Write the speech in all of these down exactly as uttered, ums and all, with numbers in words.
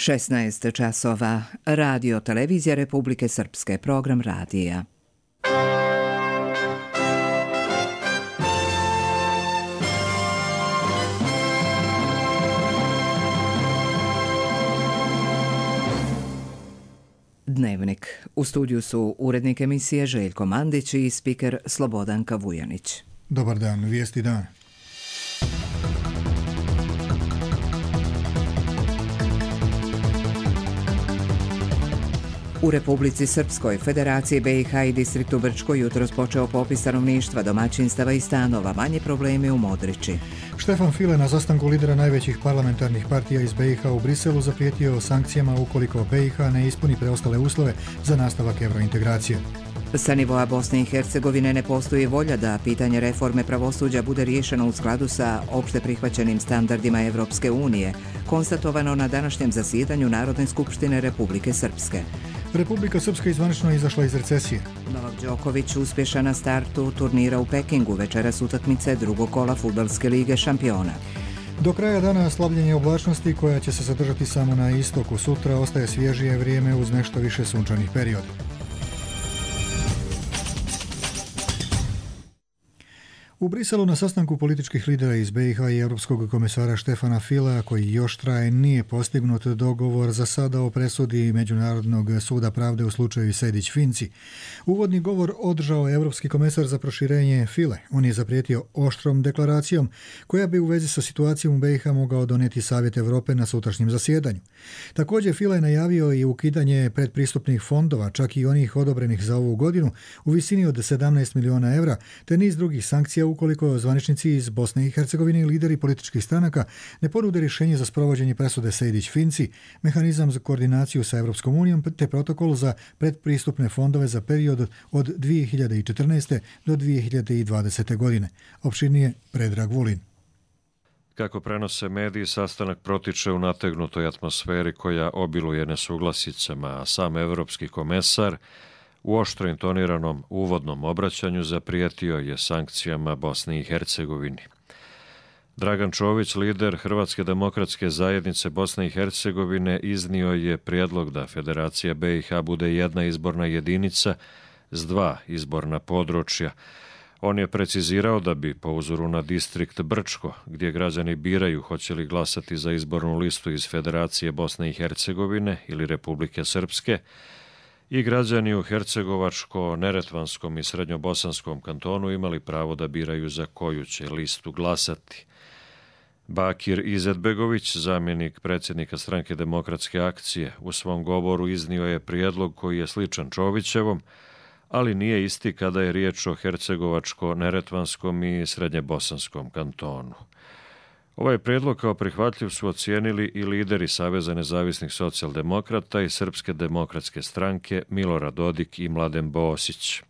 šesnaest časova. Radio Televizija Republike Srpske, program radija. Dnevnik. U studiju su urednik emisije Željko Mandić i spiker Slobodanka Vujanić. Dobar dan, vijesti dan. U Republici Srpskoj, Federaciji B i H i distriktu Brčko jutros počeo popis stanovništva, domaćinstava i stanova, manje problemi u Modriči. Štefan File na sastanku lidera najvećih parlamentarnih partija iz B i H u Briselu zaprijetio sankcijama ukoliko B i H ne ispuni preostale uslove za nastavak evrointegracije. Sa nivoa Bosne i Hercegovine ne postoji volja da pitanje reforme pravosuđa bude riješeno u skladu sa opšte prihvaćenim standardima Evropske unije, konstatovano na današnjem zasjedanju Narodne skupštine Republike Srpske. Republika Srpska izvanično izašla iz recesije. Novak Đoković uspješan na startu turnira u Pekingu, večeras utakmice drugog kola Fudbalske lige šampiona. Do kraja dana slabljenje oblačnosti koja će se zadržati samo na istoku. Sutra ostaje svježije vrijeme uz nešto više sunčanih perioda. U Briselu na sastanku političkih lidera iz B i H i Europskog komesara Štefana Filea, koji još traje, nije postignut dogovor za sada o presudi Međunarodnog suda pravde u slučaju Sejdić-Finci. Uvodni govor održao Europski komesar za proširenje File. On je zaprijetio oštrom deklaracijom koja bi u vezi sa situacijom u B i H mogao donijeti Savjet Europe na sutrašnjem zasjedanju. Također File je najavio i ukidanje predpristupnih fondova, čak i onih odobrenih za ovu godinu, u visini od sedamnaest miliona evra, te niz drugih sankcija ukoliko zvaničnici iz Bosne i Hercegovine i lideri političkih stranaka ne ponude rješenje za sprovođenje presude Sejdić-Finci, mehanizam za koordinaciju sa Europskom unijom te protokol za predpristupne fondove za period od dvije hiljade četrnaeste do dvije hiljade dvadesete. godine. Opširnije Predrag Vulin. Kako prenose mediji, sastanak protiče u nategnutoj atmosferi koja obiluje nesuglasicama, a sam evropski komesar u oštro intoniranom uvodnom obraćanju zaprijetio je sankcijama Bosni i Hercegovini. Dragan Čović, lider Hrvatske demokratske zajednice Bosne i Hercegovine, iznio je prijedlog da Federacija B i H bude jedna izborna jedinica s dva izborna područja. On je precizirao da bi po uzoru na distrikt Brčko, gdje građani biraju hoće li glasati za izbornu listu iz Federacije Bosne i Hercegovine ili Republike Srpske, i građani u Hercegovačko-Neretvanskom i Srednjobosanskom kantonu imali pravo da biraju za koju će listu glasati. Bakir Izetbegović, zamjenik predsjednika Stranke demokratske akcije, u svom govoru iznio je prijedlog koji je sličan Čovićevom, ali nije isti kada je riječ o Hercegovačko-Neretvanskom i Srednjebosanskom kantonu. Ovaj prijedlog kao prihvatljiv su ocijenili i lideri Saveza nezavisnih socijaldemokrata i Srpske demokratske stranke Milorad Dodik i Mladen Bosić.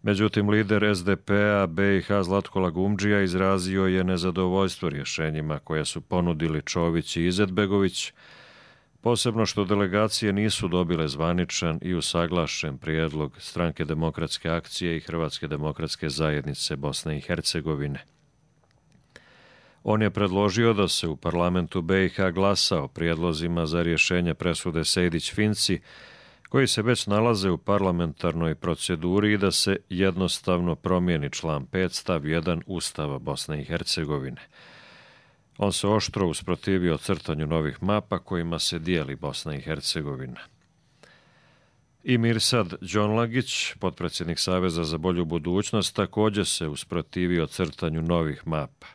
Međutim, lider S D P-a B i H Zlatko Lagumdžija izrazio je nezadovoljstvo rješenjima koje su ponudili Čović i Izetbegović, posebno što delegacije nisu dobile zvaničan i usaglašen prijedlog Stranke demokratske akcije i Hrvatske demokratske zajednice Bosne i Hercegovine. On je predložio da se u parlamentu B i H glasa o prijedlozima za rješenje presude Sejdić-Finci, koji se već nalaze u parlamentarnoj proceduri, i da se jednostavno promijeni član pet stav jedan Ustava Bosne i Hercegovine. On se oštro usprotivio crtanju novih mapa kojima se dijeli Bosna i Hercegovina. I Mirsad Đonlagić, potpredsjednik Saveza za bolju budućnost, također se usprotivio crtanju novih mapa.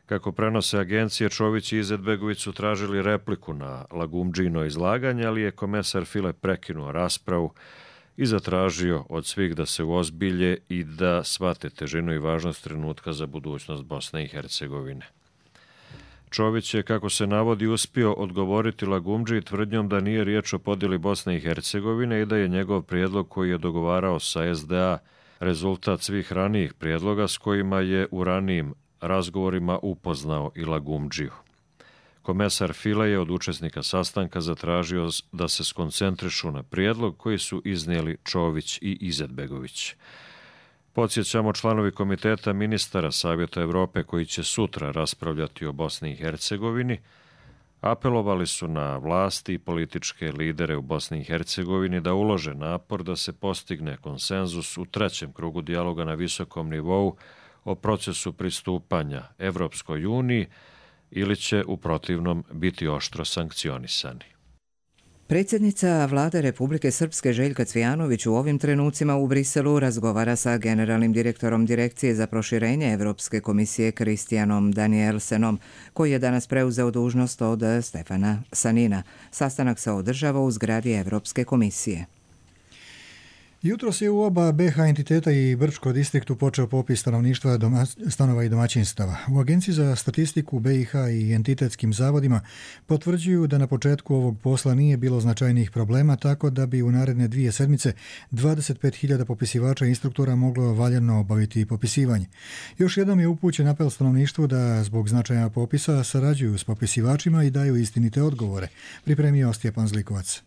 Kako prenose agencije, Čović i Izetbegović su tražili repliku na Lagumdžino izlaganje, ali je komesar File prekinuo raspravu i zatražio od svih da se uozbilje i da shvate težinu i važnost trenutka za budućnost Bosne i Hercegovine. Čović je, kako se navodi, uspio odgovoriti Lagumdži tvrdnjom da nije riječ o podjeli Bosne i Hercegovine i da je njegov prijedlog koji je dogovarao sa S D A rezultat svih ranijih prijedloga s kojima je u ranijim razgovorima upoznao i Lagumdžiju. Komesar File je od učesnika sastanka zatražio da se skoncentrišu na prijedlog koji su iznijeli Čović i Izetbegović. Podsjećamo, članovi komiteta ministara Savjeta Europe koji će sutra raspravljati o Bosni i Hercegovini Apelovali su na vlasti i političke lidere u Bosni i Hercegovini da ulože napor da se postigne konsenzus u trećem krugu dijaloga na visokom nivou o procesu pristupanja Evropskoj uniji ili će u protivnom biti oštro sankcionisani. Predsjednica Vlade Republike Srpske Željka Cvijanović u ovim trenucima u Briselu razgovara sa generalnim direktorom Direkcije za proširenje Evropske komisije Kristijanom Danielsenom, koji je danas preuzeo dužnost od Stefana Sanina. Sastanak se održava u zgradi Evropske komisije. Jutros je u oba be ha entiteta i Brčko distriktu počeo popis stanovništva, doma, stanova i domaćinstava. U Agenciji za statistiku be i ha i entitetskim zavodima potvrđuju da na početku ovog posla nije bilo značajnih problema, tako da bi u naredne dvije sedmice dvadeset pet hiljada popisivača i instruktora moglo valjano obaviti popisivanje. Još jednom je upućen apel stanovništvu da zbog značaja popisa sarađuju s popisivačima i daju istinite odgovore, pripremio Stjepan Zlikovac.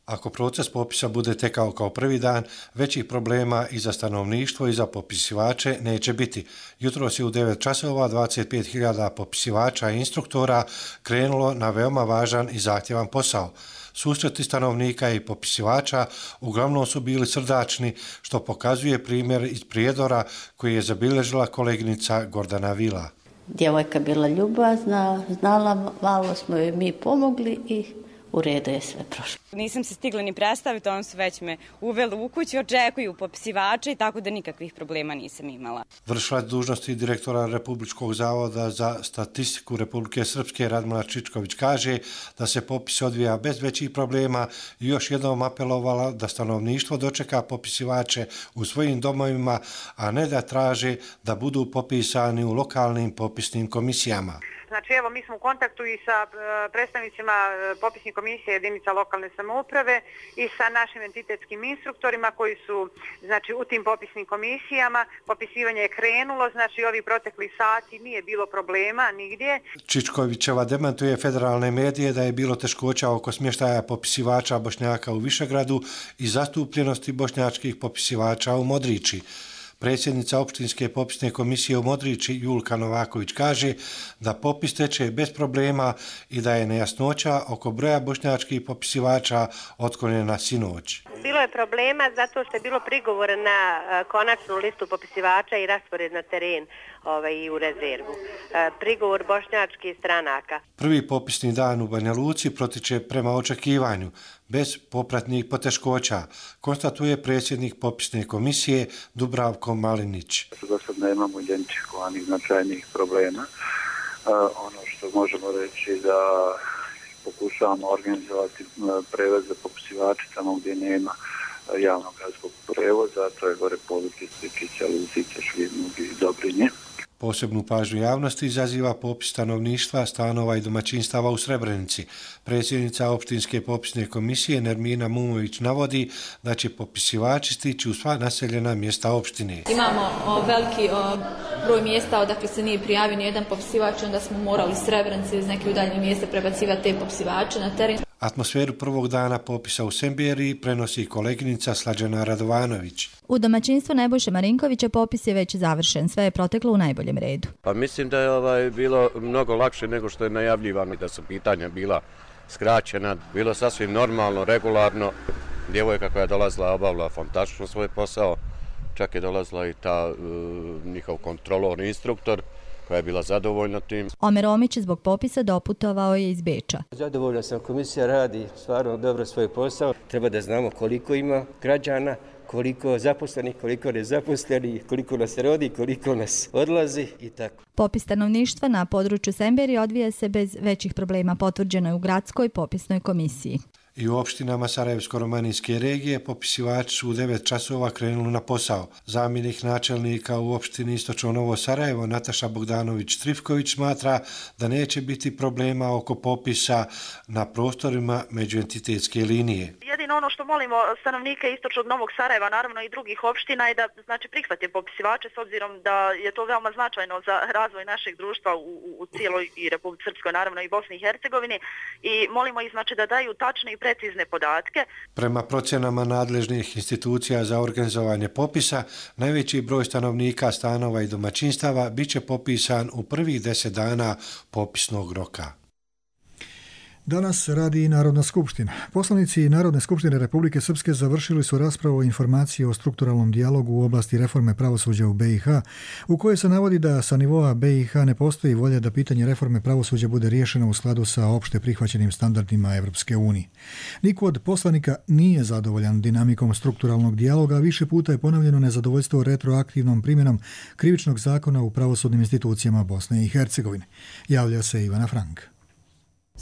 Ako proces popisa bude tekao kao prvi dan, većih problema i za stanovništvo i za popisivače neće biti. Jutros je u devet časova dvadeset pet hiljada popisivača i instruktora krenulo na veoma važan i zahtjevan posao. Susreti stanovnika i popisivača uglavnom su bili srdačni, što pokazuje primjer iz Prijedora koji je zabilježila koleginica Gordana Vila. Djevojka bila ljubazna, znala, malo smo joj mi pomogli i u redu je sve prošlo. Nisam se stigla ni predstaviti, oni su već me uveli u kuću, očekuju popisivače i tako da nikakvih problema nisam imala. Vršilac dužnosti direktora Republičkog zavoda za statistiku Republike Srpske Radmila Čičković kaže da se popis odvija bez većih problema i još jednom apelovala da stanovništvo dočeka popisivače u svojim domovima, a ne da traže da budu popisani u lokalnim popisnim komisijama. Znači, evo, mi smo u kontaktu i sa predstavnicima popisnih komisije jedinica lokalne samouprave i sa našim entitetskim instruktorima koji su, znači, u tim popisnim komisijama. Popisivanje je krenulo, znači, ovi protekli sati nije bilo problema nigdje. Čičkovićeva demantuje federalne medije da je bilo teškoća oko smještaja popisivača Bošnjaka u Višegradu i zastupljenosti bošnjačkih popisivača u Modriči. Predsjednica opštinske popisne komisije u Modriči Julka Novaković kaže da popis teče bez problema i da je nejasnoća oko broja bošnjačkih popisivača otklonjena sinoć. Bilo je problema zato što je bilo prigovora na konačnu listu popisivača i raspored na teren ovaj, i u rezervu. Prigovor bošnjačkih stranaka. Prvi popisni dan u Banja Luci protiče prema očekivanju, bez popratnih poteškoća, konstatuje predsjednik popisne komisije Dubravko Malinić. Do sad nemamo identifikovanih značajnih problema. Ono što možemo reći da pokušavamo organizovati prevoze popisivača tamo gdje nema javnog gradskog prevoza, to je gore područje Stričića, Luzice, Šljednog i Dobrinje. Posebnu pažnju javnosti izaziva popis stanovništva, stanova i domaćinstava u Srebrenici. Predsjednica opštinske popisne komisije Nermina Mumović navodi da će popisivači stići u sva naseljena mjesta opštine. Imamo o, veliki o, broj mjesta odakle se nije prijavio nijedan popisivač, onda smo morali Srebrenici iz neke udaljene mjesta prebacivati te popisivače na teren. Atmosferu prvog dana popisa u Semberiji prenosi koleginica Slađana Radovanović. U domaćinstvu Nebojše Marinkovića popis je već završen, sve je proteklo u najboljem redu. Pa mislim da je ovaj bilo mnogo lakše nego što je najavljivano, da su pitanja bila skraćena, bilo sasvim normalno, regularno. Djevojka koja je dolazila obavila fantastično svoj posao, čak je dolazila i ta uh, njihov kontrolor, instruktor, koja je bila zadovoljna tim. Omer Omić zbog popisa doputovao je iz Beča. Zadovoljna sam, komisija radi stvarno dobro svoj posao. Treba da znamo koliko ima građana, koliko zaposlenih, koliko nezaposlenih, koliko nas rodi, koliko nas odlazi i tako. Popis stanovništva na području Semberije odvija se bez većih problema, potvrđeno je u gradskoj popisnoj komisiji. I u opštinama Sarajevsko-romanijske regije popisivači su u devet časova krenuli na posao. Zamjenik načelnika u opštini Istočno Novo Sarajevo Nataša Bogdanović-Trifković smatra da neće biti problema oko popisa na prostorima međuentitetske linije. Jedino ono što molimo stanovnike Istočnog Novog Sarajeva, naravno i drugih opština, je da znači prihvate popisivače s obzirom da je to veoma značajno za razvoj našeg društva u, u cijeloj i Republici Srpskoj, naravno i Bosni i Hercegovini, i molimo ih znači da daju tačne i precizne podatke. Prema procjenama nadležnih institucija za organizovanje popisa, najveći broj stanovnika, stanova i domaćinstava biće popisan u prvih deset dana popisnog roka. Danas radi i Narodna skupština. Poslanici Narodne skupštine Republike Srpske završili su raspravu o informaciji o strukturalnom dijalogu u oblasti reforme pravosuđa u B i H, u kojoj se navodi da sa nivoa B i H ne postoji volja da pitanje reforme pravosuđa bude riješeno u skladu sa opšte prihvaćenim standardima Evropske unije. Niko od poslanika nije zadovoljan dinamikom strukturalnog dijaloga, a više puta je ponovljeno nezadovoljstvo retroaktivnom primjenom krivičnog zakona u pravosudnim institucijama Bosne i Hercegovine. Javlja se Ivana Frank.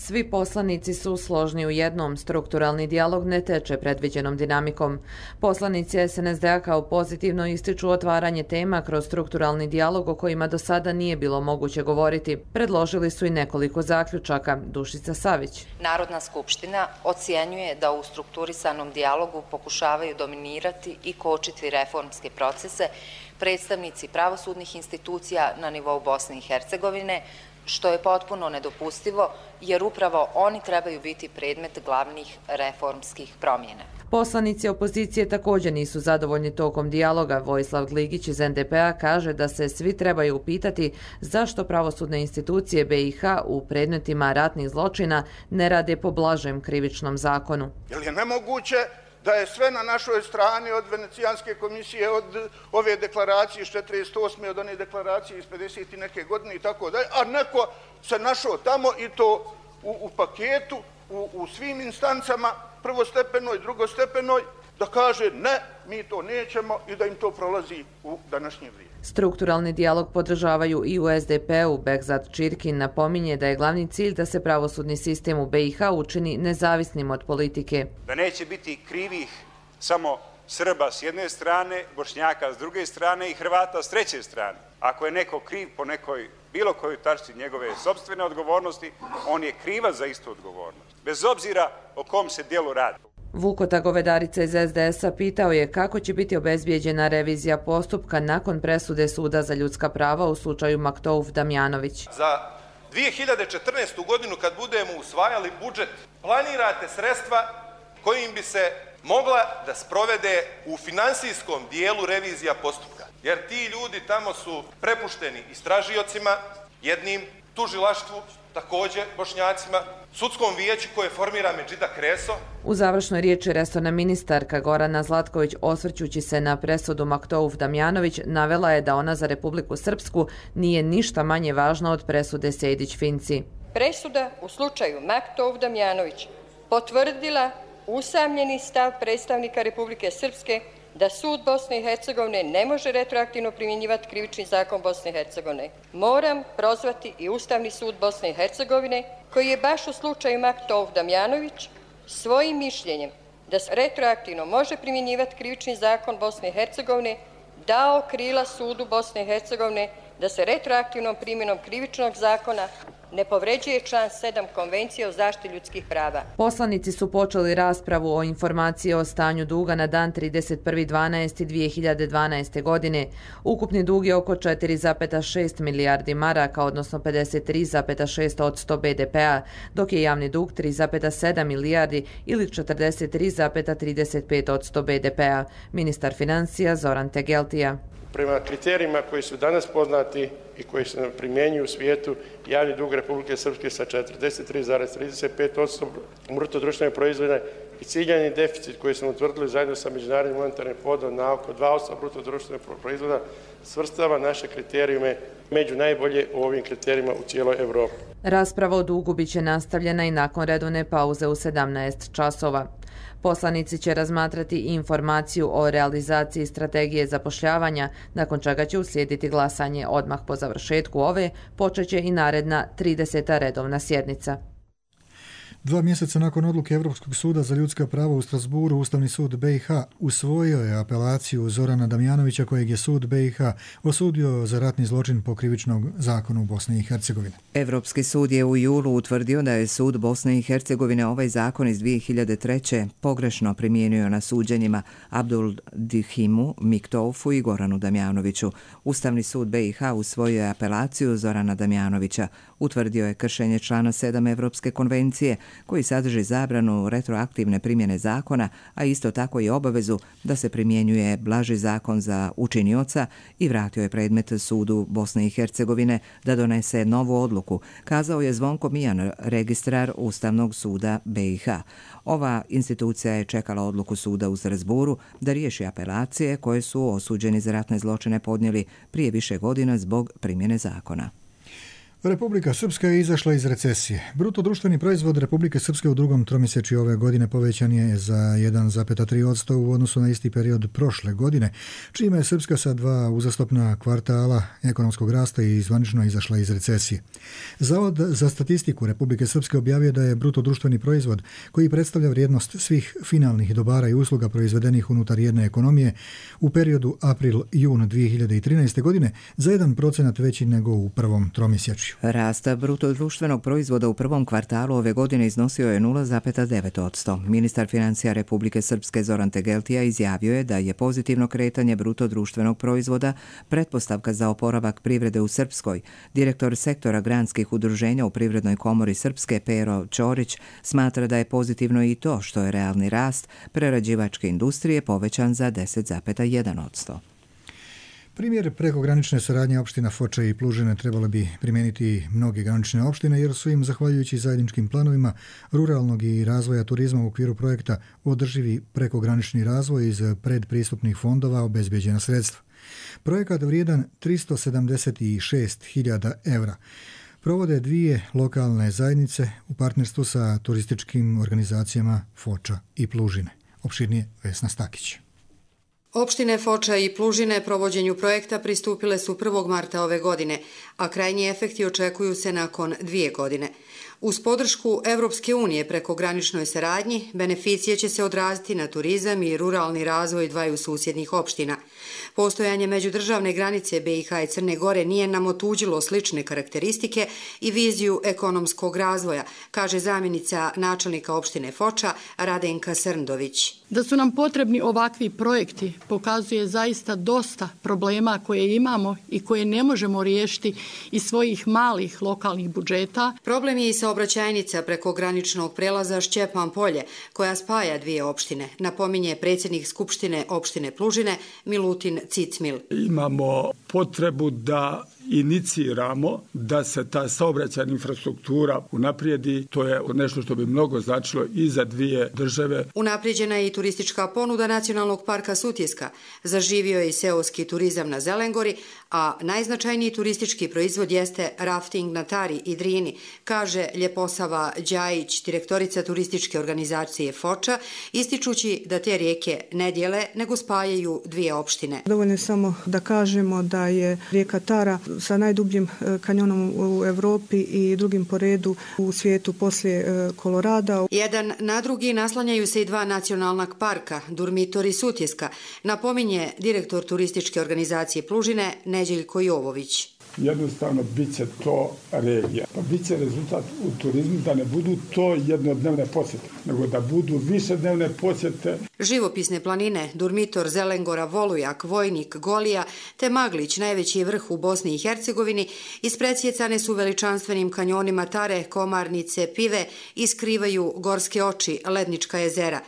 Svi poslanici su složni u jednom, strukturalni dijalog ne teče predviđenom dinamikom. Poslanici es en es de a kao pozitivno ističu otvaranje tema kroz strukturalni dijalog o kojima do sada nije bilo moguće govoriti. Predložili su i nekoliko zaključaka. Dušica Savić. Narodna skupština ocjenjuje da u strukturisanom dijalogu pokušavaju dominirati i kočiti reformske procese predstavnici pravosudnih institucija na nivou Bosne i Hercegovine, što je potpuno nedopustivo, jer upravo oni trebaju biti predmet glavnih reformskih promjena. Poslanici opozicije također nisu zadovoljni tokom dijaloga. Vojislav Gligić iz en de pe a kaže da se svi trebaju upitati zašto pravosudne institucije be i ha u predmetima ratnih zločina ne rade po blažem krivičnom zakonu. Je li je nemoguće da je sve na našoj strani od Venecijanske komisije, od ove deklaracije iz četrdeset osme od one deklaracije iz pedeset i neke godine i tako dalje, a neko se našao tamo i to u, u paketu, u, u svim instancama, prvostepenoj, drugostepenoj, da kaže ne, mi to nećemo i da im to prolazi u današnje vrijeme. Strukturalni dijalog podržavaju i u es de pe u. Bekzat Čirkin napominje da je glavni cilj da se pravosudni sistem u be i ha učini nezavisnim od politike. Da neće biti krivih samo Srba s jedne strane, Bošnjaka s druge strane i Hrvata s treće strane. Ako je neko kriv po nekoj bilo kojoj tačci njegove sopstvene odgovornosti, on je krivac za istu odgovornost, bez obzira o kom se dijelu radi. Vukota Govedarica iz es de es a pitao je kako će biti obezbijeđena revizija postupka nakon presude Suda za ljudska prava u slučaju Maktouf Damjanović. Za dvije hiljade četrnaestu. godinu kad budemo usvajali budžet, planirate sredstva kojim bi se mogla da sprovede u finansijskom dijelu revizija postupka. Jer ti ljudi tamo su prepušteni istražiocima, jednim tužilaštvu, također Bošnjacima, sudskom vijeću koje formira Medžida Kreso. U završnoj riječi resorna ministarka Gorana Zlatković, osvrćući se na presudu Maktouf Damjanović, navela je da ona za Republiku Srpsku nije ništa manje važna od presude Sejdić-Finci. Presuda u slučaju Maktouf Damjanović potvrdila usamljeni stav predstavnika Republike Srpske da sud Bosne i Hercegovine ne može retroaktivno primjenjivati krivični zakon Bosne i Hercegovine. Moram prozvati i Ustavni sud Bosne i Hercegovine, koji je baš u slučaju Maktouf Damjanović svojim mišljenjem da se retroaktivno može primjenjivati krivični zakon Bosne i Hercegovine dao krila sudu Bosne i Hercegovine da se retroaktivnom primjenom krivičnog zakona ne povređuje član sedam Konvencije o zaštiti ljudskih prava. Poslanici su počeli raspravu o informaciji o stanju duga na dan trideset prvi dvanaesti dvije hiljade dvanaeste. godine. Ukupni dug je oko četiri zarez šest milijardi maraka, odnosno pedeset tri zarez šest posto be de pe a, dok je javni dug tri zarez sedam milijardi ili četrdeset tri zarez trideset pet posto be de pe a. Ministar financija Zoran Tegeltija. Prema kriterijima koji su danas poznati i koji se primjenjuju u svijetu, javni dug Republike Srpske sa četrdeset tri zarez trideset pet posto bruto društvenog proizvoda i ciljani deficit koji smo utvrdili zajedno sa Međunarodnim monetarnim fondom na oko dva posto bruto društvenog proizvoda svrstava naše kriterijume među najbolje u ovim kriterijima u cijeloj Evropi. Rasprava o dugu biće nastavljena i nakon redovne pauze u sedamnaest časova. Poslanici će razmatrati informaciju o realizaciji strategije zapošljavanja, nakon čega će uslijediti glasanje. Odmah po završetku ove počeće i naredna trideseta redovna sjednica. Dva mjeseca nakon odluke Evropskog suda za ljudska prava u Strasburu, Ustavni sud be i ha usvojio je apelaciju Zorana Damjanovića, kojeg je sud be i ha osudio za ratni zločin po krivičnom zakonu Bosne i Hercegovine. Evropski sud je u julu utvrdio da je sud Bosne i Hercegovine ovaj zakon iz dvije hiljade treće. pogrešno primijenio na suđenjima Abdul Dihimu, Miktoufu i Goranu Damjanoviću. Ustavni sud be i ha usvojio je apelaciju Zorana Damjanovića. Utvrdio je kršenje člana sedam Evropske konvencije koji sadrži zabranu retroaktivne primjene zakona, a isto tako i obavezu da se primjenjuje blaži zakon za učinioca i vratio je predmet sudu Bosne i Hercegovine da donese novu odluku, kazao je Zvonko Mijan, registrar Ustavnog suda B i H. Ova institucija je čekala odluku suda u Strazburu da riješi apelacije koje su osuđeni za ratne zločine podnijeli prije više godina zbog primjene zakona. Republika Srpska je izašla iz recesije. Bruto društveni proizvod Republike Srpske u drugom tromjesečju ove godine povećan je za jedan zarez tri posto u odnosu na isti period prošle godine, čime je Srpska sa dva uzastopna kvartala ekonomskog rasta i zvanično izašla iz recesije. Zavod za statistiku Republike Srpske objavio da je bruto društveni proizvod, koji predstavlja vrijednost svih finalnih dobara i usluga proizvedenih unutar jedne ekonomije, u periodu april-jun dvije hiljade trinaeste. godine za jedan procenat veći nego u prvom tromjesečju. Rast bruto društvenog proizvoda u prvom kvartalu ove godine iznosio je nula zarez devet posto. Ministar financija Republike Srpske Zoran Tegeltija izjavio je da je pozitivno kretanje bruto društvenog proizvoda pretpostavka za oporavak privrede u Srpskoj. Direktor sektora granskih udruženja u Privrednoj komori Srpske Pero Ćorić smatra da je pozitivno i to što je realni rast prerađivačke industrije povećan za deset zarez jedan posto. Primjer prekogranične saradnje opština Foča i Plužine trebalo bi primijeniti mnoge granične opštine jer su im, zahvaljujući zajedničkim planovima ruralnog i razvoja turizma u okviru projekta Održivi prekogranični razvoj iz predpristupnih fondova obezbeđena sredstva. Projekat vrijedan tristo sedamdeset šest hiljada evra provode dvije lokalne zajednice u partnerstvu sa turističkim organizacijama Foča i Plužine. Opširnije Vesna Stakić. Opštine Foča i Plužine provođenju projekta pristupile su prvog marta ove godine, a krajnji efekti očekuju se nakon dvije godine. Uz podršku Evropske unije preko graničnoj saradnji, beneficije će se odraziti na turizam i ruralni razvoj dvaju susjednih opština. Postojanje međudržavne granice B i H i Crne Gore nije nam otuđilo slične karakteristike i viziju ekonomskog razvoja, kaže zamjenica načelnika opštine Foča Radenka Srndović. Da su nam potrebni ovakvi projekti pokazuje zaista dosta problema koje imamo i koje ne možemo riješiti iz svojih malih lokalnih budžeta. Problem je i saobraćajnica preko graničnog prelaza Šćepan Polje, koja spaja dvije opštine, napominje predsjednik Skupštine opštine Plužine Milutin Cicmil. Imamo potrebu da iniciramo da se ta saobraćajna infrastruktura unaprijedi. To je nešto što bi mnogo značilo i za dvije države. Unaprijeđena je i turistička ponuda Nacionalnog parka Sutjeska. Zaživio je i seoski turizam na Zelengori, a najznačajniji turistički proizvod jeste rafting na Tari i Drini, kaže Ljeposava Đajić, direktorica turističke organizacije Foča, ističući da te rijeke ne dijele, nego spajaju dvije opštine. Dovoljno je samo da kažemo da je rijeka Tara sa najdubljim kanjonom u Evropi i drugim po redu u svijetu poslije Kolorada. Jedan na drugi naslanjaju se i dva nacionalna parka, Durmitor i Sutjeska, napominje direktor turističke organizacije Plužine Neđeljko Jovović. Jednostavno bit će to regija. Pa bit će rezultat u turizmu da ne budu to jednodnevne posjete, nego da budu višednevne posjete. Živopisne planine, Durmitor, Zelengora, Volujak, Vojnik, Golija te Maglić, najveći vrh u Bosni i Hercegovini, ispredsjecane su veličanstvenim kanjonima Tare, Komarnice, Pive i skrivaju gorske oči, lednička jezera.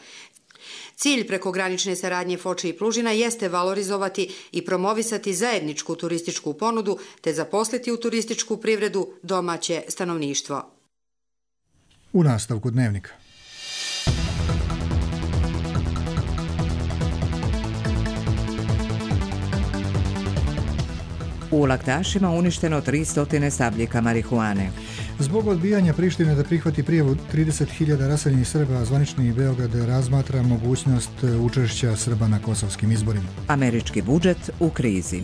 Cilj prekogranične saradnje Foče i Plužina jeste valorizovati i promovisati zajedničku turističku ponudu te zaposliti u turističku privredu domaće stanovništvo. U nastavku dnevnika. U Laktašima uništeno tristo stabljika marihuane. Zbog odbijanja Prištine da prihvati prijavu trideset hiljada raseljenih Srba, zvanični Beograd razmatra mogućnost učešća Srba na kosovskim izborima. Američki budžet u krizi.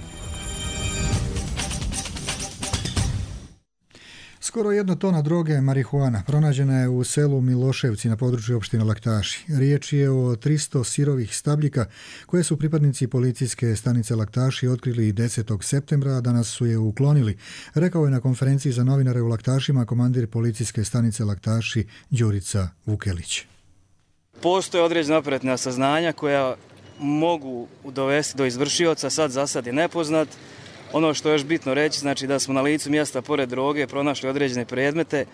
Skoro jedna tona droge marihuana pronađena je u selu Miloševci na području opštine Laktaši. Riječ je o tristo sirovih stabljika koje su pripadnici policijske stanice Laktaši otkrili desetog septembra, a danas su je uklonili, rekao je na konferenciji za novinare u Laktašima komandir policijske stanice Laktaši Đurica Vukelić. Postoje određena operativna saznanja koja mogu dovesti do izvršioca, sad za sad je nepoznat. Ono što je još bitno reći, znači da smo na licu mjesta pored droge pronašli određene predmete.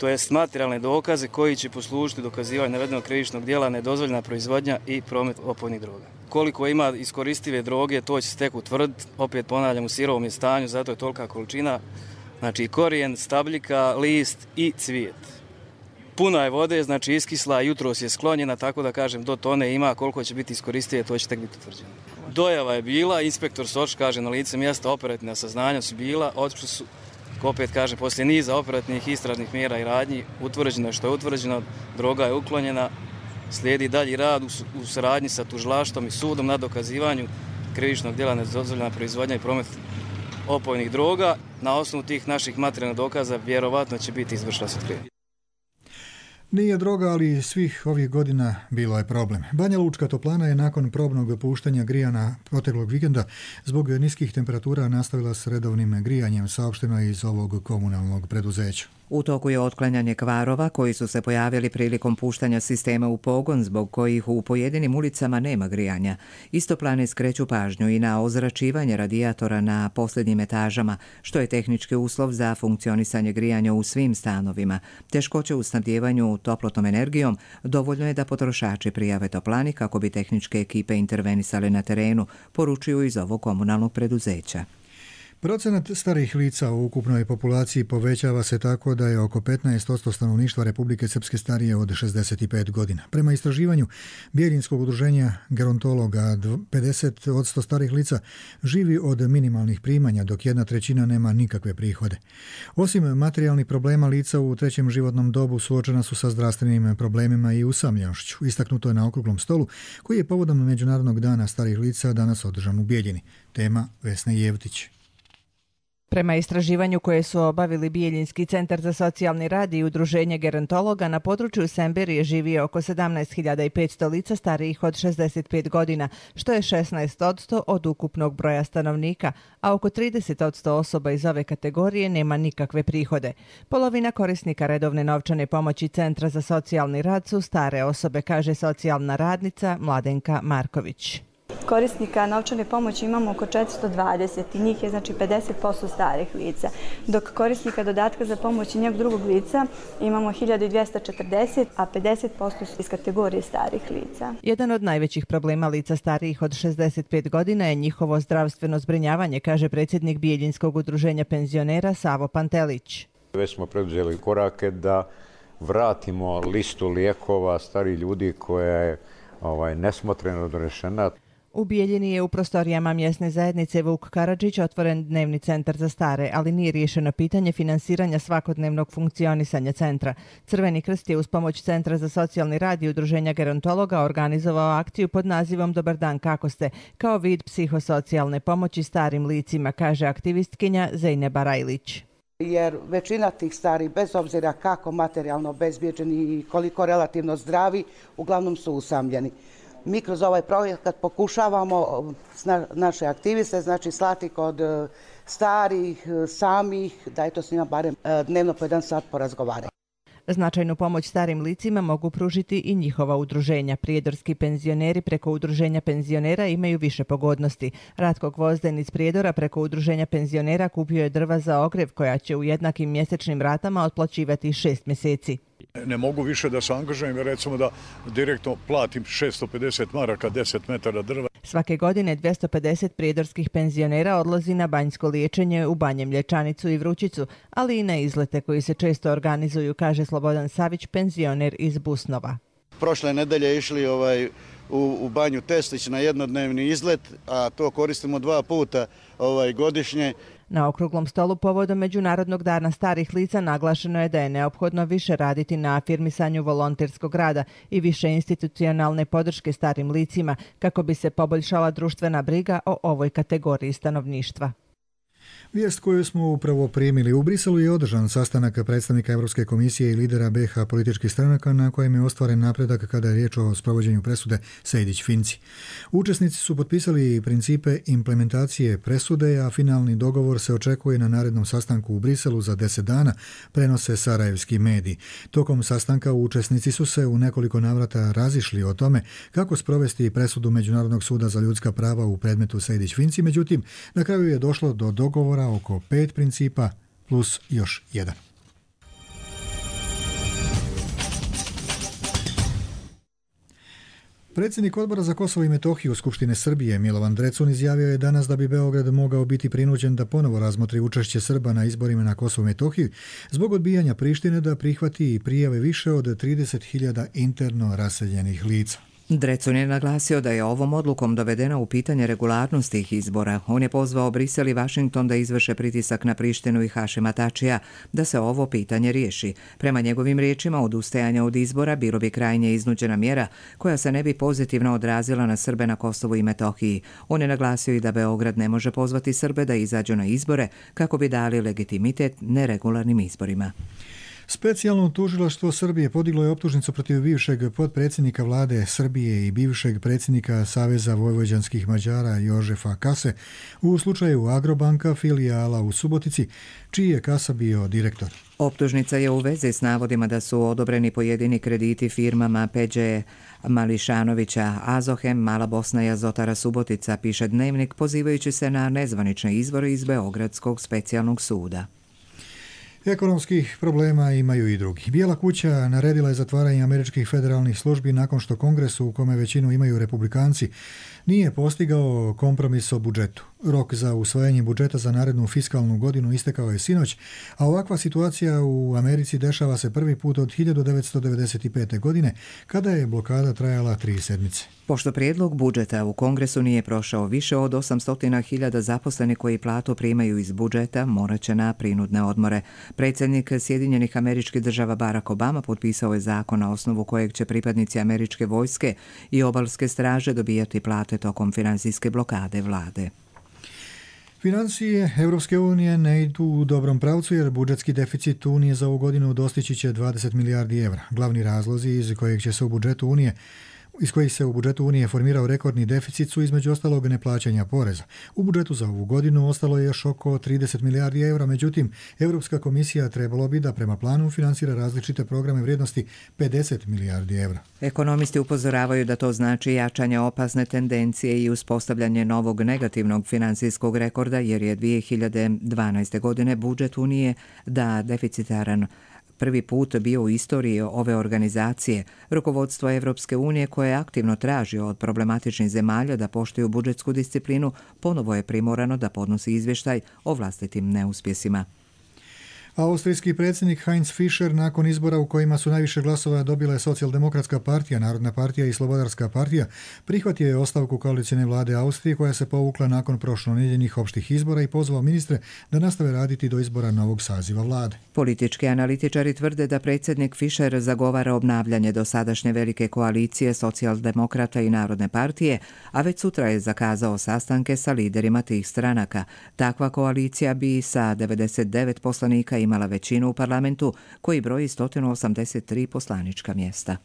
to jest materijalne dokaze koji će poslužiti dokazivanju navedenog krivičnog djela nedozvoljena proizvodnja i promet opojnih droga. Koliko ima iskoristive droge, to će se tek utvrditi, opet ponavljam, u sirovom je stanju, zato je tolika količina, znači korijen, stabljika, list i cvijet. Puna je vode, znači iskisla, jutros je sklonjena, tako da kažem do tone ima, koliko će biti iskoristive, to će tek biti utvrđeno. Dojava je bila, inspektor Soč kaže na lice mjesta, operativna saznanja su bila, otišli su, opet kažem, poslije niza operativnih istražnih mjera i radnji, utvrđeno je što je utvrđeno, droga je uklonjena, slijedi dalji rad u, u saradnji sa tužilaštvom i sudom na dokazivanju krivičnog djela nedozvoljena proizvodnja i promet opojnih droga. Na osnovu tih naših materijalnih dokaza vjerovatno će biti izvršena otkrivenje. Nije droga, ali svih ovih godina bilo je problem. Banja Lučka toplana je nakon probnog puštanja grijana proteklog vikenda zbog niskih temperatura nastavila s redovnim grijanjem, saopšteno iz ovog komunalnog preduzeća. U toku je otklanjanje kvarova koji su se pojavili prilikom puštanja sistema u pogon, zbog kojih u pojedinim ulicama nema grijanja. Istoplane skreću pažnju i na ozračivanje radijatora na posljednjim etažama, što je tehnički uslov za funkcionisanje grijanja u svim stanovima. Teškoće u snabdijevanju toplotnom energijom dovoljno je da potrošači prijave toplani kako bi tehničke ekipe intervenisale na terenu, poručuju iz ovog komunalnog preduzeća. Procenat starih lica u ukupnoj populaciji povećava se tako da je oko petnaest posto stanovništva Republike Srpske starije od šezdeset pet godina. Prema istraživanju Bijeljinskog udruženja gerontologa, pedeset posto starih lica živi od minimalnih primanja, dok jedna trećina nema nikakve prihode. Osim materijalnih problema, lica u trećem životnom dobu suočena su sa zdravstvenim problemima i usamljenošću. Istaknuto je na okruglom stolu koji je povodom Međunarodnog dana starih lica danas održan u Bijeljini. Tema Vesna Jevtić. Prema istraživanju koje su obavili Bijeljinski centar za socijalni rad i udruženje gerontologa, na području Semberije živi oko sedamnaest hiljada petsto lica starijih od šezdeset pet godina, što je šesnaest posto od ukupnog broja stanovnika, a oko trideset posto osoba iz ove kategorije nema nikakve prihode. Polovina korisnika redovne novčane pomoći Centra za socijalni rad su stare osobe, kaže socijalna radnica Mladenka Marković. Korisnika novčane pomoći imamo oko četiristo dvadeset i njih je znači pedeset posto starih lica, dok korisnika dodatka za pomoć i njeg drugog lica imamo hiljadu dvjesto četrdeset, a pedeset posto su iz kategorije starih lica. Jedan od najvećih problema lica starijih od šezdeset pet godina je njihovo zdravstveno zbrinjavanje, kaže predsjednik Bijeljinskog udruženja penzionera Savo Pantelić. Već smo preduzeli korake da vratimo listu lijekova starih ljudi koja je ovaj, nesmotreno donešena. U Bijeljini je u prostorijama mjesne zajednice Vuk Karadžić otvoren dnevni centar za stare, ali nije riješeno pitanje finansiranja svakodnevnog funkcionisanja centra. Crveni krst je uz pomoć Centra za socijalni rad i udruženja gerontologa organizovao akciju pod nazivom Dobar dan, kako ste, kao vid psihosocijalne pomoći starim licima, kaže aktivistkinja Zejneba Rajlić. Jer većina tih starih, bez obzira kako materijalno obezbijeđeni i koliko relativno zdravi, uglavnom su usamljeni. Mi kroz ovaj projekat pokušavamo naše aktiviste, znači slati kod starih, samih, da je to s njima barem dnevno po jedan sat porazgovarati. Značajnu pomoć starim licima mogu pružiti i njihova udruženja. Prijedorski penzioneri preko udruženja penzionera imaju više pogodnosti. Ratko Gvozden iz Prijedora preko udruženja penzionera kupio je drva za ogrjev koja će u jednakim mjesečnim ratama otplaćivati šest mjeseci. Ne mogu više da se angažujem, recimo da direktno platim šesto pedeset maraka, deset metara drva. Svake godine dvjesto pedeset prijedorskih penzionera odlazi na banjsko liječenje u Banjem Mlječanicu i Vrućicu, ali i na izlete koji se često organizuju, kaže Slobodan Savić, penzioner iz Busnova. Prošle nedelje išli ovaj, u, u banju Testić na jednodnevni izlet, a to koristimo dva puta ovaj, godišnje. Na okruglom stolu povodom Međunarodnog dana starih lica naglašeno je da je neophodno više raditi na afirmisanju volonterskog rada i više institucionalne podrške starim licima kako bi se poboljšala društvena briga o ovoj kategoriji stanovništva. Vijest koju smo upravo primili. U Briselu je održan sastanak predstavnika Europske komisije i lidera B iH političkih stranaka na kojem je ostvaren napredak kada je riječ o sprovođenju presude Sejdić-Finci. Učesnici su potpisali principe implementacije presude, a finalni dogovor se očekuje na narednom sastanku u Briselu za deset dana, prenose sarajevski mediji. Tokom sastanka učesnici su se u nekoliko navrata razišli o tome kako sprovesti presudu Međunarodnog suda za ljudska prava u predmetu Sejdić-Finci, međutim, na kraju je došlo do dogovora oko pet principa plus još jedan. Predsjednik Odbora za Kosovo i Metohiju Skupštine Srbije Milovan Drecun izjavio je danas da bi Beograd mogao biti prinuđen da ponovo razmotri učešće Srba na izborima na Kosovo i Metohiji zbog odbijanja Prištine da prihvati i prijave više od trideset hiljada interno raseljenih lica. Drecun je naglasio da je ovom odlukom dovedena u pitanje regularnost tih izbora. On je pozvao Brisel i Vašington da izvrše pritisak na Prištinu i Hašima Tačija da se ovo pitanje riješi. Prema njegovim riječima, odustajanje od izbora bilo bi krajnje iznuđena mjera koja se ne bi pozitivno odrazila na Srbe na Kosovu i Metohiji. On je naglasio i da Beograd ne može pozvati Srbe da izađu na izbore kako bi dali legitimitet neregularnim izborima. Specijalno tužilaštvo Srbije podiglo je optužnicu protiv bivšeg potpredsjednika vlade Srbije i bivšeg predsjednika Saveza vojvođanskih Mađara Jožefa Kase u slučaju Agrobanka filijala u Subotici, čiji je Kasa bio direktor. Optužnica je u vezi s navodima da su odobreni pojedini krediti firmama Peđe Mališanovića, Azohem, Mala Bosna i Azotara Subotica, piše Dnevnik pozivajući se na nezvanične izvore iz Beogradskog specijalnog suda. Ekonomskih problema imaju i drugi. Bijela kuća naredila je zatvaranje američkih federalnih službi nakon što Kongres, u kome većinu imaju republikanci, nije postigao kompromis o budžetu. Rok za usvajanje budžeta za narednu fiskalnu godinu istekao je sinoć, a ovakva situacija u Americi dešava se prvi put od hiljadu devetsto devedeset pete. godine, kada je blokada trajala tri sedmice. Pošto prijedlog budžeta u Kongresu nije prošao, više od osamsto hiljada zaposlenih koji platu primaju iz budžeta morat će na prinudne odmore. Predsjednik Sjedinjenih Američkih Država Barack Obama potpisao je zakon na osnovu kojeg će pripadnici američke vojske i obalske straže dobijati plate tokom financijske blokade vlade. Financije Europske unije ne idu u dobrom pravcu jer budžetski deficit Unije za ovu godinu dostići će dvadeset milijardi evra. Glavni razlozi iz kojeg će se u budžetu Unije iz kojih se u budžetu Unije formirao rekordni deficit su između ostalog neplaćanja poreza. U budžetu za ovu godinu ostalo je još oko trideset milijardi evra, međutim, Europska komisija trebalo bi da prema planu finansira različite programe vrijednosti pedeset milijardi evra. Ekonomisti upozoravaju da to znači jačanje opasne tendencije i uspostavljanje novog negativnog financijskog rekorda, jer je dvije hiljade dvanaeste. godine budžet Unije da deficitaran prvi put bio u istoriji ove organizacije. Rukovodstvo Evropske unije, koje aktivno traži od problematičnih zemalja da poštuju budžetsku disciplinu, ponovo je primorano da podnosi izvještaj o vlastitim neuspjesima. Austrijski predsjednik Heinz Fischer nakon izbora u kojima su najviše glasova dobile Socijaldemokratska partija, Narodna partija i Slobodarska partija, prihvatio je ostavku koalicijne vlade Austrije koja se povukla nakon prošlonedjeljnih opštih izbora i pozvao ministre da nastave raditi do izbora novog saziva vlade. Politički analitičari tvrde da predsjednik Fischer zagovara obnavljanje dosadašnje velike koalicije Socijaldemokrata i Narodne partije, a već sutra je zakazao sastanke sa liderima tih stranaka. Takva koalicija bi sa devedeset devet poslanika imala većinu u parlamentu koji broji sto osamdeset tri poslanička mjesta.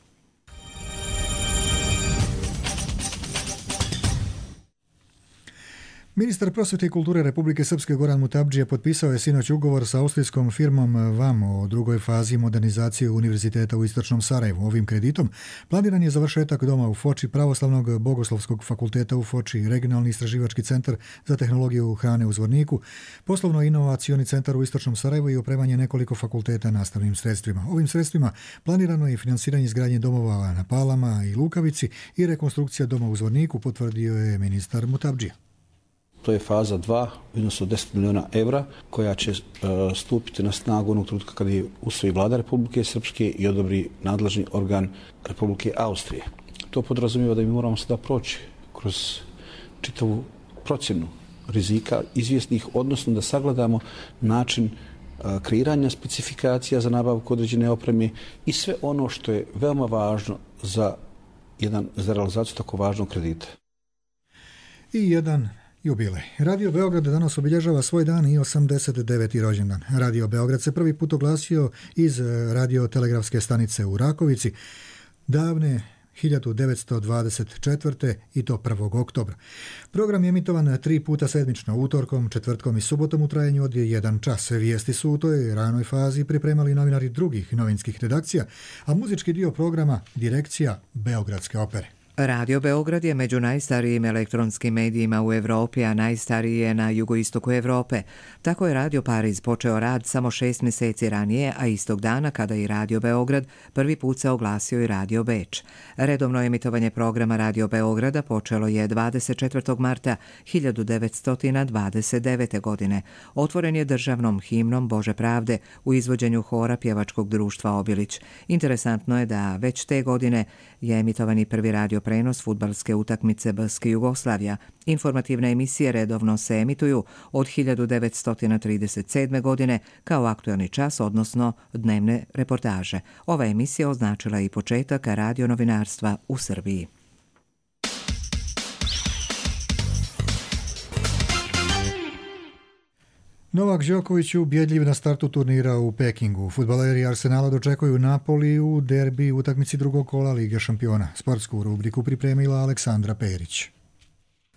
Ministar prosvjete i kulture Republike Srpske Goran Mutabdžija potpisao je sinoć ugovor sa austrijskom firmom VAM o drugoj fazi modernizacije Univerziteta u Istočnom Sarajevu. Ovim kreditom planiran je završetak doma u Foči, Pravoslavnog bogoslovskog fakulteta u Foči, Regionalni istraživački centar za tehnologiju hrane u Zvorniku, poslovno-inovacioni centar u Istočnom Sarajevu i opremanje nekoliko fakulteta nastavnim sredstvima. Ovim sredstvima planirano je i finansiranje izgradnje domova na Palama i Lukavici i rekonstrukcija doma u Zvorniku, potvrdio je ministar Mutabdžija. To je faza dva, odnosno deset milijuna evra, koja će uh, stupiti na snagu onog trenutka kada je usvoji vlada Republike Srpske i odobri nadležni organ Republike Austrije. To podrazumijeva da mi moramo sada proći kroz čitavu procjenu rizika izvjesnih, odnosno da sagledamo način uh, kreiranja specifikacija za nabavku određene opreme i sve ono što je veoma važno za, jedan, za realizaciju tako važnog kredita. I jedan jubilej. Radio Beograd danas obilježava svoj dan i osamdeset deveti rođendan. Radio Beograd se prvi put oglasio iz radiotelegrafske stanice u Rakovici davne hiljadu devetsto dvadeset četvrte. i to prvog oktobra. Program je emitovan tri puta sedmično, utorkom, četvrtkom i subotom u trajanju od jedan čas. Vijesti su u toj ranoj fazi pripremali novinari drugih novinskih redakcija, a muzički dio programa direkcija Beogradske opere. Radio Beograd je među najstarijim elektronskim medijima u Europi, a najstariji je na jugoistoku Europe. Tako je Radio Pariz počeo rad samo šest mjeseci ranije, a istog dana kada i Radio Beograd prvi put se oglasio i Radio Beč. Redovno emitovanje programa Radio Beograda počelo je dvadeset četvrtog marta hiljadu devetsto dvadeset devete. godine. Otvoren je državnom himnom Bože pravde u izvođenju hora pjevačkog društva Obilić. Interesantno je da već te godine je emitovani prvi radio prenos fudbalske utakmice B S K Jugoslavija. Informativne emisije redovno se emituju od hiljadu devetsto trideset sedme. godine kao aktualni čas, odnosno dnevne reportaže. Ova emisija označila i početak radionovinarstva u Srbiji. Novak Đoković ubjedljiv na startu turnira u Pekingu. Fudbaleri Arsenala dočekuju Napoli u derbi utakmici drugog kola Lige šampiona. Sportsku rubriku pripremila Aleksandra Perić.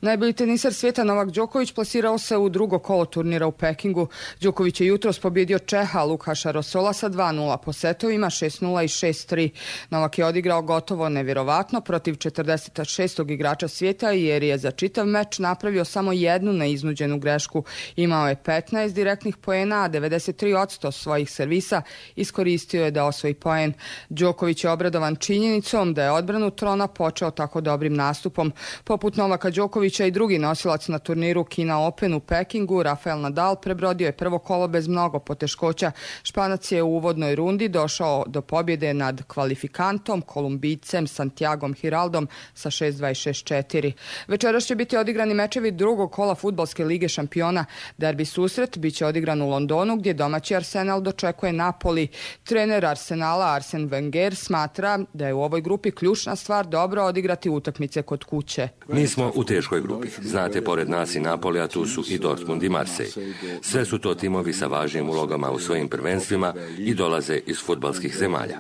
Najbolji teniser svijeta Novak Đoković plasirao se u drugo kolo turnira u Pekingu. Đoković je jutros pobjedio Čeha Lukaša Rosola sa dva nula po setovima, šest nula i šest tri. Novak je odigrao gotovo nevjerovatno protiv četrdeset šestog igrača svijeta jer je za čitav meč napravio samo jednu neiznuđenu grešku. Imao je petnaest direktnih poena, a devedeset tri posto svojih servisa iskoristio je da osvoji poen. Đoković je obradovan činjenicom da je odbranu trona počeo tako dobrim nastupom. Poput Novaka Đokovića i drugi nosilac na turniru Kina Open u Pekingu, Rafael Nadal, prebrodio je prvo kolo bez mnogo poteškoća. Španac je u uvodnoj rundi došao do pobjede nad kvalifikantom, Kolumbijcem Santiagom Hiraldom sa šest dva i šest četiri. Večeras će biti odigrani mečevi drugog kola fudbalske lige šampiona. Derbi susret biće odigran u Londonu gdje domaći Arsenal dočekuje Napoli. Trener Arsenala Arsen Wenger smatra da je u ovoj grupi ključna stvar dobro odigrati utakmice kod kuće. Mi smo u teškoj grupi. Znate, pored nas i Napoli, a tu su i Dortmund i Marseille. Sve su to timovi sa važnim ulogama u svojim prvenstvima i dolaze iz fudbalskih zemalja.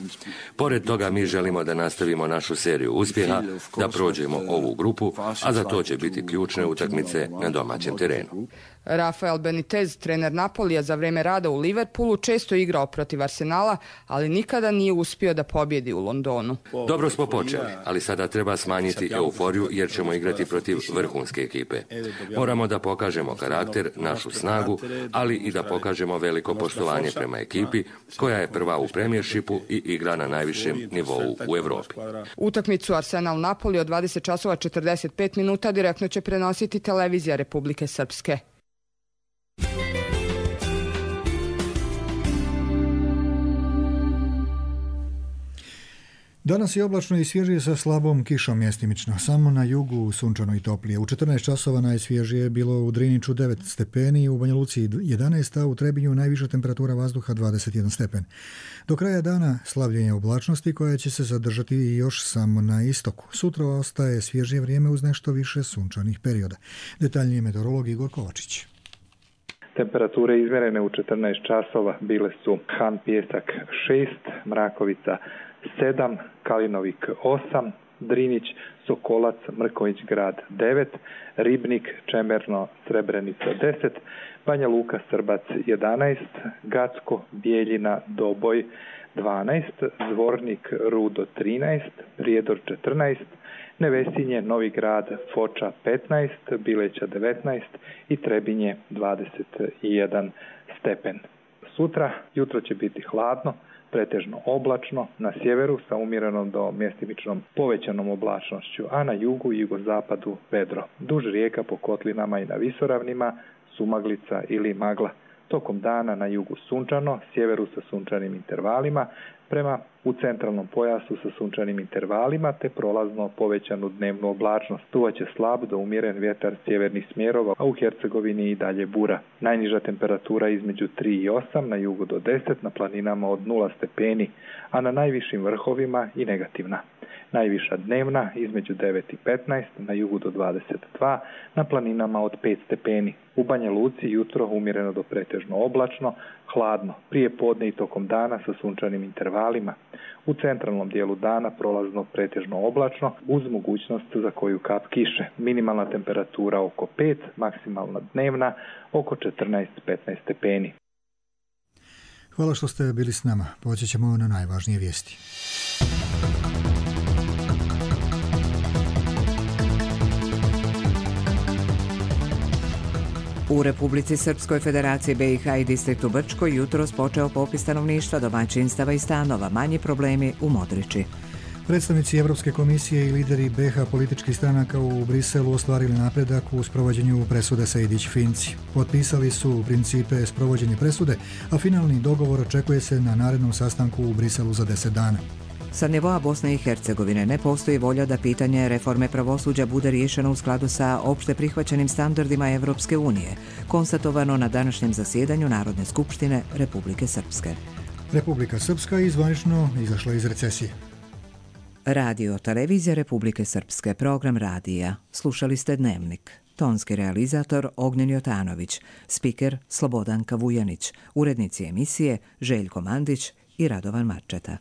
Pored toga mi želimo da nastavimo našu seriju uspjeha, da prođemo ovu grupu, a za to će biti ključne utakmice na domaćem terenu. Rafael Benitez, trener Napolija, za vrijeme rada u Liverpoolu često igrao protiv Arsenala, ali nikada nije uspio da pobjedi u Londonu. Dobro smo počeli, ali sada treba smanjiti euforiju jer ćemo igrati protiv vrhunske ekipe. Moramo da pokažemo karakter, našu snagu, ali i da pokažemo veliko poštovanje prema ekipi koja je prva u premijershipu i igra na najvišem nivou u Europi. Utakmicu Arsenal-Napoli od dvadeset časova četrdeset pet minuta direktno će prenositi televizija Republike Srpske. Danas je oblačno i svježije sa slabom kišom mjestimično. Samo na jugu sunčano i toplije. U četrnaest časova najsvježije je bilo u Driniću devet stepeni, u Banja Luci jedanaest, a u Trebinju najviša temperatura vazduha dvadeset jedan stepen. Do kraja dana slavljenje oblačnosti koja će se zadržati još samo na istoku. Sutra ostaje svježije vrijeme uz nešto više sunčanih perioda. Detaljnije meteorolog Igor Kovačić. Temperature izmjerene u četrnaest časova bile su Han Pijesak šest, Mrakovica sedam, Kalinovik osam, Drinić, Sokolac, Mrković grad devet, Ribnik, Čemerno, Srebrenica deset, Banja Luka, Srbac jedanaest, Gacko, Bijeljina, Doboj dvanaest, Zvornik, Rudo trinaest, Prijedor četrnaest, Nevesinje, Novi grad, Foča petnaest, Bileća devetnaest i Trebinje dvadeset jedan stepen. Sutra jutro će biti hladno, pretežno oblačno, na sjeveru sa umjerenom do mjestimičnom povećanom oblačnošću, a na jugu i jugozapadu vedro. Duž rijeka po kotlinama i na visoravnima, sumaglica ili magla. Tokom dana na jugu sunčano, sjeveru sa sunčanim intervalima, prema u centralnom pojasu sa sunčanim intervalima te prolazno povećanu dnevnu oblačnost. Duvaće slab do umjeren vjetar sjevernih smjerova, a u Hercegovini i dalje bura. Najniža temperatura između tri i osam, na jugu do deset, na planinama od nula stepeni, a na najvišim vrhovima i negativna. Najviša dnevna između devet i petnaest, na jugu do dvadeset dva, na planinama od pet stepeni. U Banja Luci jutro umjereno do pretežno oblačno, hladno, prije podne i tokom dana sa sunčanim intervalima. U centralnom dijelu dana prolazno pretežno oblačno uz mogućnost za koju kap kiše. Minimalna temperatura oko pet, maksimalna dnevna oko četrnaest do petnaest stepeni. Hvala što ste bili s nama. Poći ćemo na najvažnije vijesti. U Republici Srpskoj, Federaciji B i H i distriktu Brčkoj jutros počeo popis stanovništva, domaćinstava i stanova. Manji problemi u Modriči. Predstavnici Evropske komisije i lideri B H političkih stranaka u Briselu ostvarili napredak u sprovođenju presude Sejdić-Finci. Potpisali su principe sprovođenja presude, a finalni dogovor očekuje se na narednom sastanku u Briselu za deset dana. Sa nivoa Bosne i Hercegovine ne postoji volja da pitanje reforme pravosuđa bude riješeno u skladu sa opšte prihvaćenim standardima Evropske unije, konstatovano na današnjem zasjedanju Narodne skupštine Republike Srpske. Republika Srpska je zvanično izašla iz recesije. Radio Televizija Republike Srpske, program radija. Slušali ste Dnevnik. Tonski realizator Ognjen Jotanović, spiker Slobodanka Vujanić, urednici emisije Željko Mandić i Radovan Marčeta.